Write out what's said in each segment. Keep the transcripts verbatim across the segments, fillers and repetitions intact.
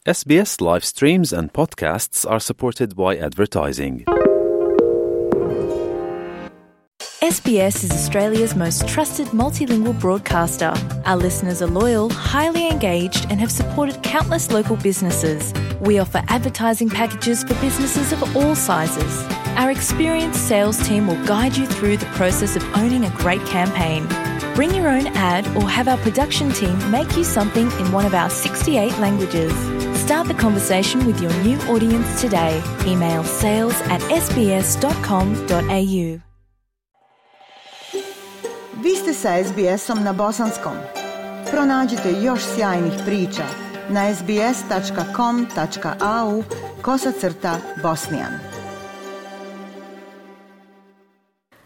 S B S live streams and podcasts are supported by advertising. S B S is Australia's most trusted multilingual broadcaster. Our listeners are loyal, highly engaged, and have supported countless local businesses. We offer advertising packages for businesses of all sizes. Our experienced sales team will guide you through the process of owning a great campaign. Bring your own ad or have our production team make you something in one of our sixty-eight languages. Start the conversation with your new audience today. Email sales at s b s dot com dot a u. Vi ste sa S B S-om na bosanskom. Pronađite još sjajnih priča na sbs.com.au kosacrta bosnijan.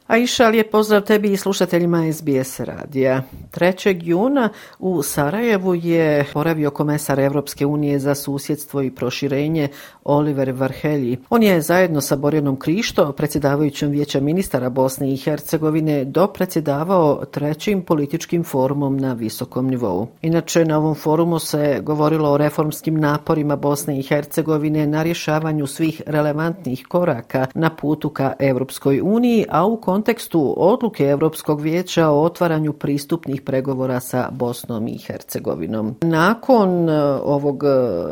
Aisha, lijep pozdrav tebi i slušateljima S B S radija. trećeg juna u Sarajevu je boravio komesar Evropske unije za susjedstvo i proširenje Oliver Varhelyi. On je zajedno sa Borjanom Krišto, predsjedavajućom Vijeća ministara Bosne i Hercegovine, dopredsjedavao trećim političkim forumom na visokom nivou. Inače, na ovom forumu se govorilo o reformskim naporima Bosne i Hercegovine na rješavanju svih relevantnih koraka na putu ka Evropskoj uniji, a u kontekstu odluke Europskog vijeća o otvaranju pristupnih pregovora sa Bosnom i Hercegovinom. Nakon ovog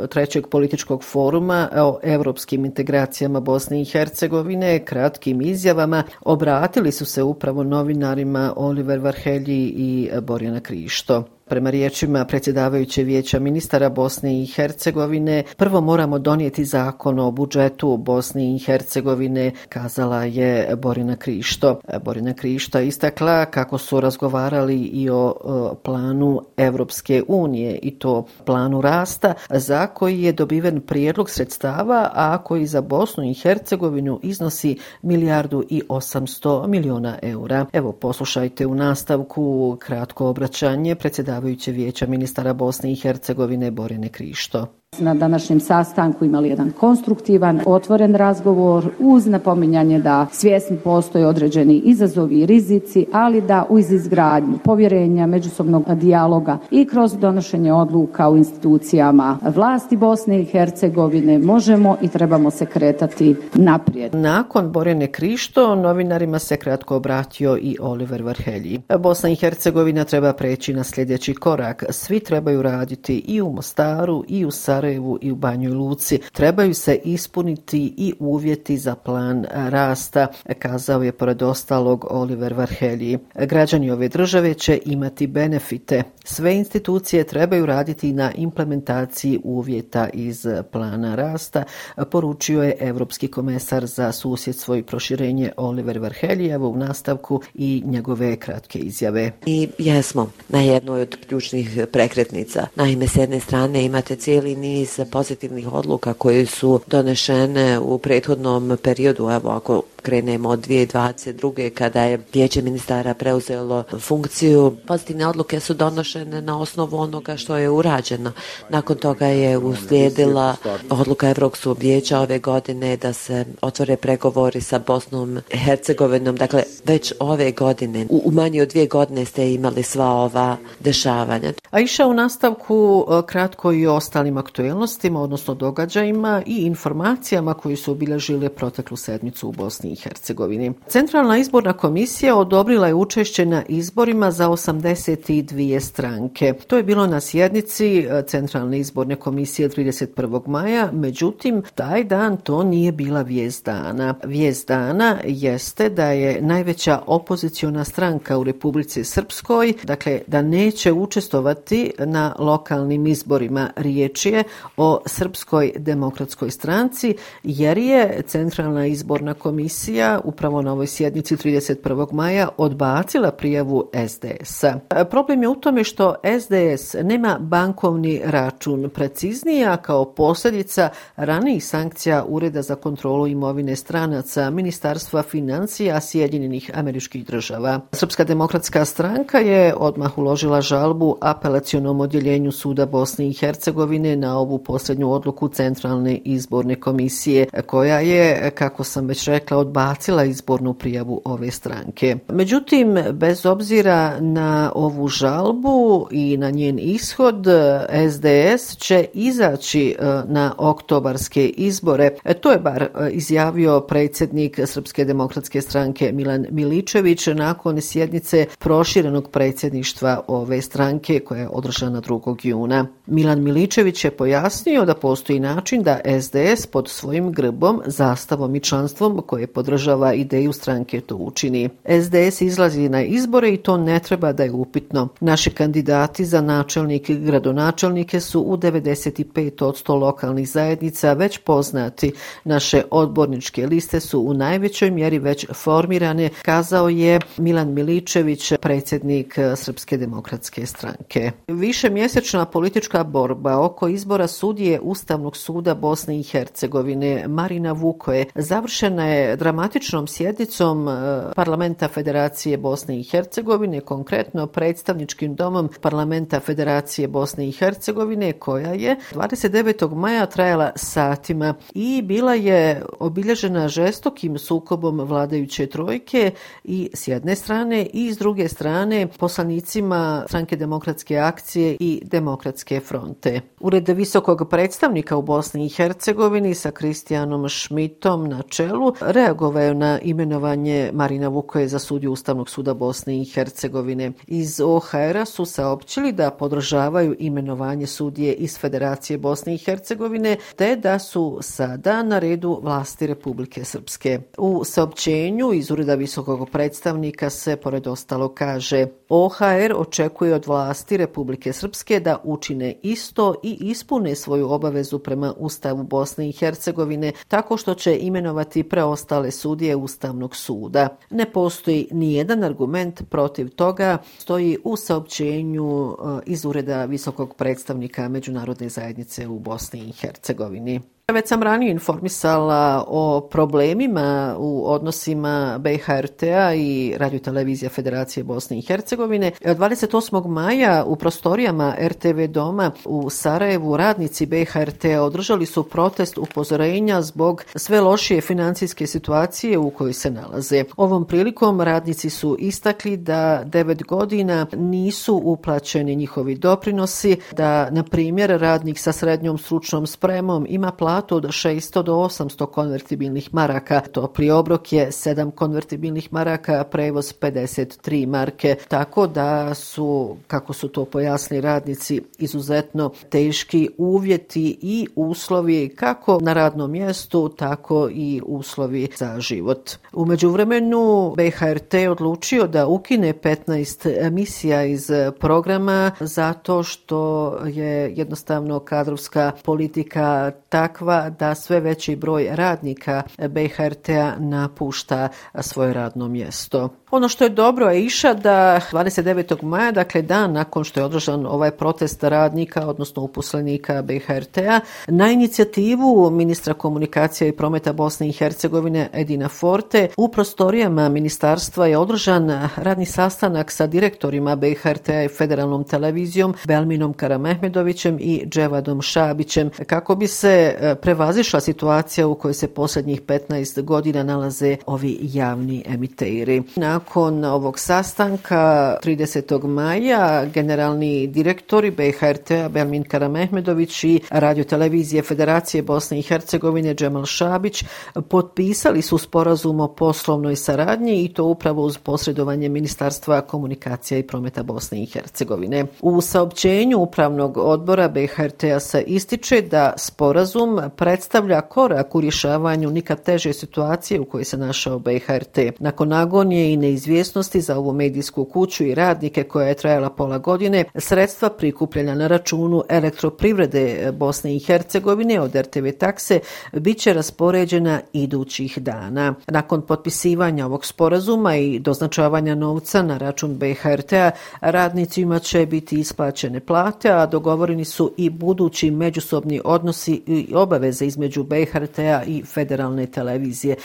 trećeg političkog foruma o europskim integracijama Bosne i Hercegovine, kratkim izjavama, obratili su se upravo novinarima Oliver Varhelyi i Borjana Krišto. Prema riječima predsjedavajuće Vijeća ministara Bosne i Hercegovine, prvo moramo donijeti zakon o budžetu Bosne i Hercegovine, kazala je Borjana Krišto. Borjana Krišto istakla kako su razgovarali i o, o planu Evropske unije, i to planu rasta, za koji je dobiven prijedlog sredstava, a koji za Bosnu i Hercegovinu iznosi milijardu i osamsto milijuna eura. Evo, poslušajte u nastavku kratko obraćanje predsjedavajuće Vijeća ministara Bosne i Hercegovine Borjane Krišto. Na današnjem sastanku imali jedan konstruktivan, otvoren razgovor uz napominjanje da svjesni postoje određeni izazovi i rizici, ali da uz izgradnju povjerenja, međusobnog dijaloga i kroz donošenje odluka u institucijama vlasti Bosne i Hercegovine možemo i trebamo se kretati naprijed. Nakon Borjane Krišto novinarima se kratko obratio i Oliver Varhelyi. Bosna i Hercegovina treba preći na sljedeći korak. Svi trebaju raditi i u Mostaru i u Sarajevu i u Banjoj Luci. Trebaju se ispuniti i uvjeti za plan rasta, kazao je pored ostalog Oliver Varhelyi. Građani ove države će imati benefite. Sve institucije trebaju raditi na implementaciji uvjeta iz plana rasta, poručio je Evropski komesar za susjedstvo i proširenje Oliver Varhelyi. Evo u nastavku i njegove kratke izjave. I jesmo na jednoj od ključnih prekretnica. Naime, s jedne strane imate cijeli niz pozitivnih odluka koje su donešene u prethodnom periodu. Evo, ako krenemo od dvije tisuće dvadeset druge kada je Vijeće ministara preuzelo funkciju, pozitivne odluke su donošene na osnovu onoga što je urađeno. Nakon toga je uslijedila odluka Evropskog vijeća ove godine da se otvore pregovori sa Bosnom i Hercegovinom. Dakle, već ove godine, u, u manje od dvije godine ste imali sva ova dešavanja. Aisha, u nastavku kratko i o ostalim aktuelnostima, odnosno događajima i informacijama koji su obilježile proteklu sedmicu u Bosni i Hercegovini. Centralna izborna komisija odobrila je učešće na izborima za osamdeset dvije stranke. To je bilo na sjednici Centralne izborne komisije trideset prvog maja, međutim, taj dan to nije bila vijest dana. Vijest dana jeste da je najveća opoziciona stranka u Republici Srpskoj, dakle da neće učestvovati na lokalnim izborima. Riječ je o Srpskoj demokratskoj stranci, jer je Centralna izborna komisija upravo na ovoj sjednici trideset prvog maja odbacila prijavu S D S-a. Problem je u tome što S D S nema bankovni račun, preciznije, a kao posljedica ranijih sankcija Ureda za kontrolu imovine stranaca Ministarstva financija Sjedinjenih Američkih Država. Srpska demokratska stranka je odmah uložila žalbu apelacionom odjeljenju Suda Bosne i Hercegovine na ovu posljednju odluku Centralne izborne komisije, koja je, kako sam već rekla, od odbacila izbornu prijavu ove stranke. Međutim, bez obzira na ovu žalbu i na njen ishod, S D S će izaći na oktobarske izbore. To je bar izjavio predsjednik Srpske demokratske stranke Milan Miličević nakon sjednice proširenog predsjedništva ove stranke koja je održana drugog juna. Milan Miličević je pojasnio da postoji način da S D S pod svojim grbom, zastavom i članstvom koje podržava ideju stranke to učini. S D S izlazi na izbore i to ne treba da je upitno. Naši kandidati za načelnike i gradonačelnike su u devedeset pet posto lokalnih zajednica već poznati. Naše odborničke liste su u najvećoj mjeri već formirane, kazao je Milan Miličević, predsjednik Srpske demokratske stranke. Višemjesečna politička borba oko izbora sudije Ustavnog suda Bosne i Hercegovine Marina Vukoje završena je dramatičnom sjednicom Parlamenta Federacije Bosne i Hercegovine, konkretno predstavničkim domom Parlamenta Federacije Bosne i Hercegovine, koja je dvadeset devetog maja trajala satima i bila je obilježena žestokim sukobom vladajuće trojke i s jedne strane i s druge strane poslanicima Stranke demokratske akcije i Demokratske fronte. Ured visokog predstavnika u Bosni i Hercegovini sa Kristijanom Šmitom na čelu reagovao je na imenovanje Marina Vukoje za sudiju Ustavnog suda Bosne i Hercegovine. Iz O H R-a su saopćili da podržavaju imenovanje sudije iz Federacije Bosne i Hercegovine te da su sada na redu vlasti Republike Srpske. U saopćenju iz Ureda visokog predstavnika se pored ostalo kaže: O H R očekuje od vlasti Republike Srpske da učine isto i ispune svoju obavezu prema Ustavu Bosne i Hercegovine tako što će imenovati preostale sudije Ustavnog suda. Ne postoji ni jedan argument protiv toga, stoji u saopćenju iz Ureda visokog predstavnika Međunarodne zajednice u Bosni i Hercegovini. Već sam ranije informisala o problemima u odnosima B H R T-a i Radiotelevizije Federacije Bosne i Hercegovine. dvadeset osmog maja u prostorijama R T V doma u Sarajevu radnici B H R T-a održali su protest upozorenja zbog sve lošije financijske situacije u kojoj se nalaze. Ovom prilikom radnici su istakli da devet godina nisu uplaćeni njihovi doprinosi, da na primjer radnik sa srednjom stručnom spremom ima platu od šesto do osamsto konvertibilnih maraka. Topli obrok je sedam konvertibilnih maraka, prevoz pedeset tri marke. Tako da su, kako su to pojasnili radnici, izuzetno teški uvjeti i uslovi kako na radnom mjestu, tako i uslovi za život. U međuvremenu B H R T odlučio da ukine petnaest emisija iz programa zato što je jednostavno kadrovska politika takva da sve veći broj radnika B H R T-a napušta svoje radno mjesto. Ono što je dobro je iša da dvadeset devetog maja, dakle dan nakon što je održan ovaj protest radnika, odnosno uposlenika B H R T-a, na inicijativu ministra komunikacija i prometa Bosne i Hercegovine Edina Forte u prostorijama ministarstva je održan radni sastanak sa direktorima B H R T-a i Federalnom televizijom Belminom Karamehmedovićem i Dževadom Šabićem kako bi se prevazišla situacija u kojoj se posljednjih petnaest godina nalaze ovi javni emiteri. Nakon ovog sastanka tridesetog maja generalni direktori B H R T-a Belmin Karamehmedović i Radiotelevizije Federacije Bosne i Hercegovine Džemal Šabić potpisali su sporazum o poslovnoj saradnji i to upravo uz posredovanje Ministarstva komunikacija i prometa Bosne i Hercegovine. U saopćenju Upravnog odbora B H R T-a se ističe da sporazum predstavlja korak u rješavanju nikad teže situacije u kojoj se našao B H R T. Nakon agonije i neizvjesnosti za ovu medijsku kuću i radnike koja je trajala pola godine, sredstva prikupljena na računu elektroprivrede Bosne i Hercegovine od R T V takse bit će raspoređena idućih dana. Nakon potpisivanja ovog sporazuma i doznačavanja novca na račun B H R T-a, radnicima će biti isplaćene plate, a dogovoreni su i budući međusobni odnosi i obaveze između B H R T-a i Federalne televizije.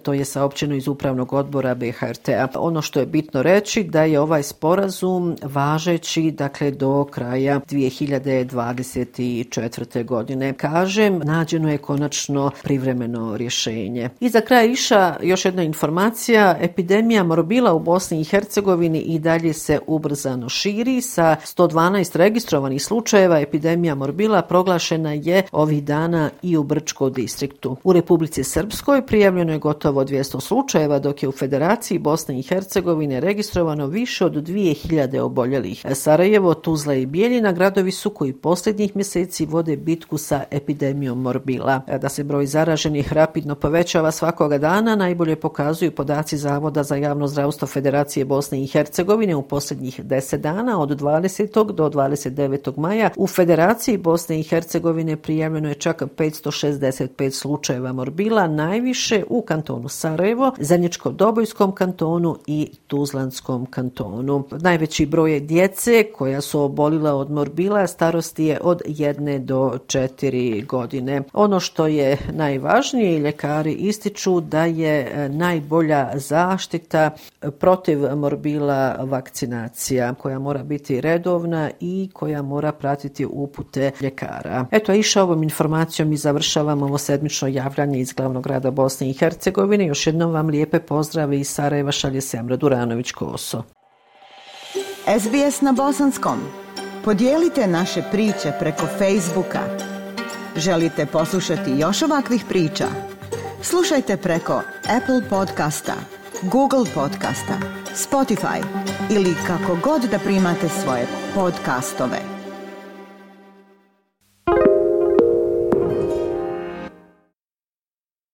To je saopćeno iz Upravnog odbora B H R T-a. Ono što je bitno reći da je ovaj sporazum važeći dakle do kraja dvije hiljade dvadeset četvrte. godine. Kažem, nađeno je konačno privremeno rješenje. I za kraj iša još jedna informacija. Epidemija morbila u Bosni i Hercegovini i dalje se ubrzano širi. Sa sto dvanaest registrovanih slučajeva epidemija morbila proglašena je ovih dana i u Brčkom distriktu. U Republici Srpskoj prijavljeno je gotovo dvjesto slučajeva, dok je u Federaciji Bosne i Hercegovine registrovano više od dvije hiljade oboljelih. Sarajevo, Tuzla i Bijeljina gradovi su koji posljednjih mjeseci vode bitku sa epidemijom morbila. Da se broj zaraženih rapidno povećava svakoga dana najbolje pokazuju podaci Zavoda za javno zdravstvo Federacije Bosne i Hercegovine u posljednjih deset dana od dvadesetog do dvadeset devetog maja. U Federaciji Bosne i Hercegovine prijavljeno je čak petsto šezdeset pet slučajeva morbila, najviše u kantonu Sarajevo, Zeničko-Dobojskom kantonu i Tuzlanskom kantonu. Najveći broj djece koja su obolila od morbila starosti je od jedne do četiri godine. Ono što je najvažnije, ljekari ističu da je najbolja zaštita protiv morbila vakcinacija koja mora biti redovna i koja mora pratiti upute ljekara. Eto, iša ovom informacijom i završavamo ovo sedmično javljanje iz glavnog grada Bosne i Hercegovine. Još jednom vam lijepe pozdrave iz Sarajeva šalje Semra Duranović-Koso. S B S na bosanskom. Podijelite naše priče preko Facebooka. Želite poslušati još ovakvih priča? Slušajte preko Apple podcasta, Google podcasta, Spotify ili kako god da primate svoje podcastove.